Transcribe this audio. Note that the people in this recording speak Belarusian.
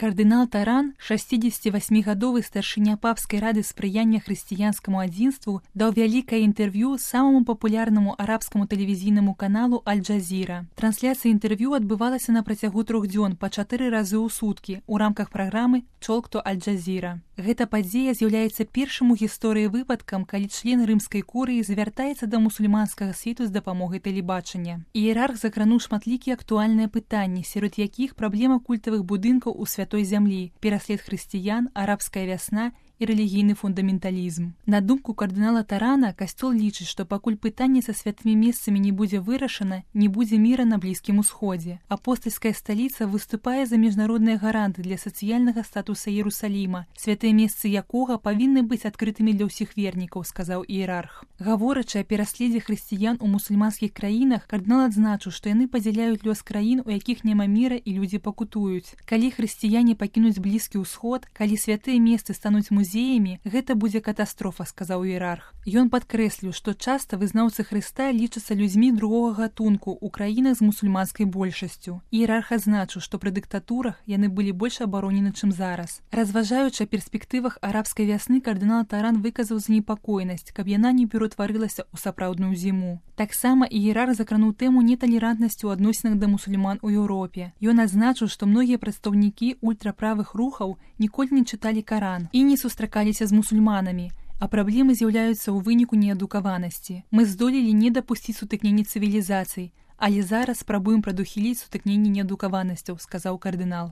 Кардынал Таран, 68-гадовы старшыня папскай рады спрыяння хрысціянскаму адзінству, даў вялікае інтэрв'ю самаму папулярнаму арабскаму тэлевізійнаму каналу Аль-Джазіра. Трансляцыя інтэрв'ю адбывалася на працягу 3 дзён па 4 разы ў суткі ў рамках праграмы «Talk to Аль-Джазіра». Гэта падзея з'яўляецца першым у гісторыі выпадкам, калі член рымскай курыі звяртаецца да мусульманскага свету з дапамогай тэлебачання. Іерарх закрануў шматлікія актуальныя пытанні, сярод якіх праблема культавых будынкаў у святой зямлі, пераслед хрысціян, арабская вясна і рэлігійны фундаменталізм. На думку кардынала Тарана, касцёл лічыць, што пакуль пытанне са святымі месцамі не будзе вырашана, не будзе міра на Блізкім Усходзе. Апостальская сталіца выступае за міжнародныя гаранты для сацыяльнага статуса Іерусаліма, святыя месцы якога павінны быць адкрытымі для ўсіх вернікаў, сказаў іерарх. Гаворачы о пераследзе хрысціян у мусульманскіх краінах, кардынал адзначыў, што яны падзяляюць лёс краін, у якіх няма міра і людзі пакутуюць. Калі хрысціяне пакінуць Блізкі Ўсход, калі святыя месцы стануць музеямі, гэта будзе катастрофа, сказаў іерарх. Ён падкрэсліў, што часта вызнаўцы Хрыста лічацца людзьмі другога гатунку ў краінах з мусульманскай большасцю. Іерарх адзначыў, што пры дыктатурах яны былі больш абаронены, чым зараз. Разважаючы о перспектывах арабскай вясны, кардынал Таран выказаў занепакоенасць, каб яна не ператварылася ў сапраўдную зіму. Таксама іерарх закрануў тэму неталерантнасці ў адносінах да мусульман у Еўропе. Ён адзначыў, што многія прадстаўнікі ультраправых рухаў ніколі не чыталі Каран і не сустракаліся з мусульманамі, а праблемы з'яўляюцца ў выніку неадукаванасці. Мы здолелі не дапусціць сутыкнення цывілізацый, але зараз спрабуем прадухіліць сутыкненне неадукаванасцяў, сказаў кардынал.